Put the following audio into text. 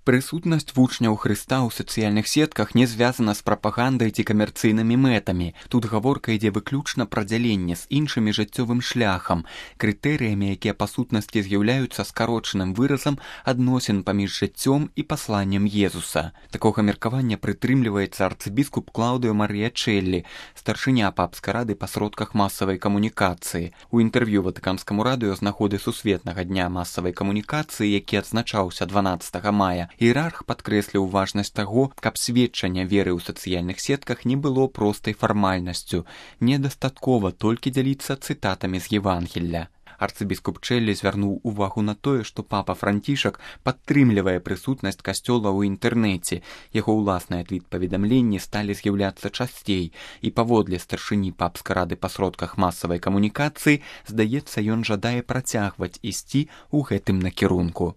Прысутнасць вучняў Хрыста ў сацыяльных сетках не звязана з прапагандай ці камерцыйнымі мэтамі. Тут гаворка ідзе выключна пра дзяленне з іншымі жыццёвым шляхам, крытэрыямі, якія па сутнасці з'яўляюцца скарочаным выразам адносін паміж жыццём і пасланнем Езуса. Такога меркавання прытрымліваецца арцыбіскуп Клаўдыо Марыя Челлі, старшыня папскай рады па сродках масавай камунікацыі. У інтэрв'ю Ватыканскаму радыё з нагоды Сусветнага дня масавай камунікацыі, які адзначаўся 12 мая, іерарх падкрэсліў важнасць таго, каб сведчанне веры ў сацыяльных сетках не было простай фармальнасцю. Недастаткова толькі дзяліцца цытатамі з Евангелля. Арцыбіскуп Челлі звярнуў увагу на тое, што папа Францішак падтрымлівае прысутнасць касцёла ў інтэрнэце. Яго ўласныя твіт-паведамленні сталі з'яўляцца часцей, і паводле старшыні папскай рады па сродках масавай камунікацыі, здаецца, ён жадае працягваць ісці ў гэтым накірунку.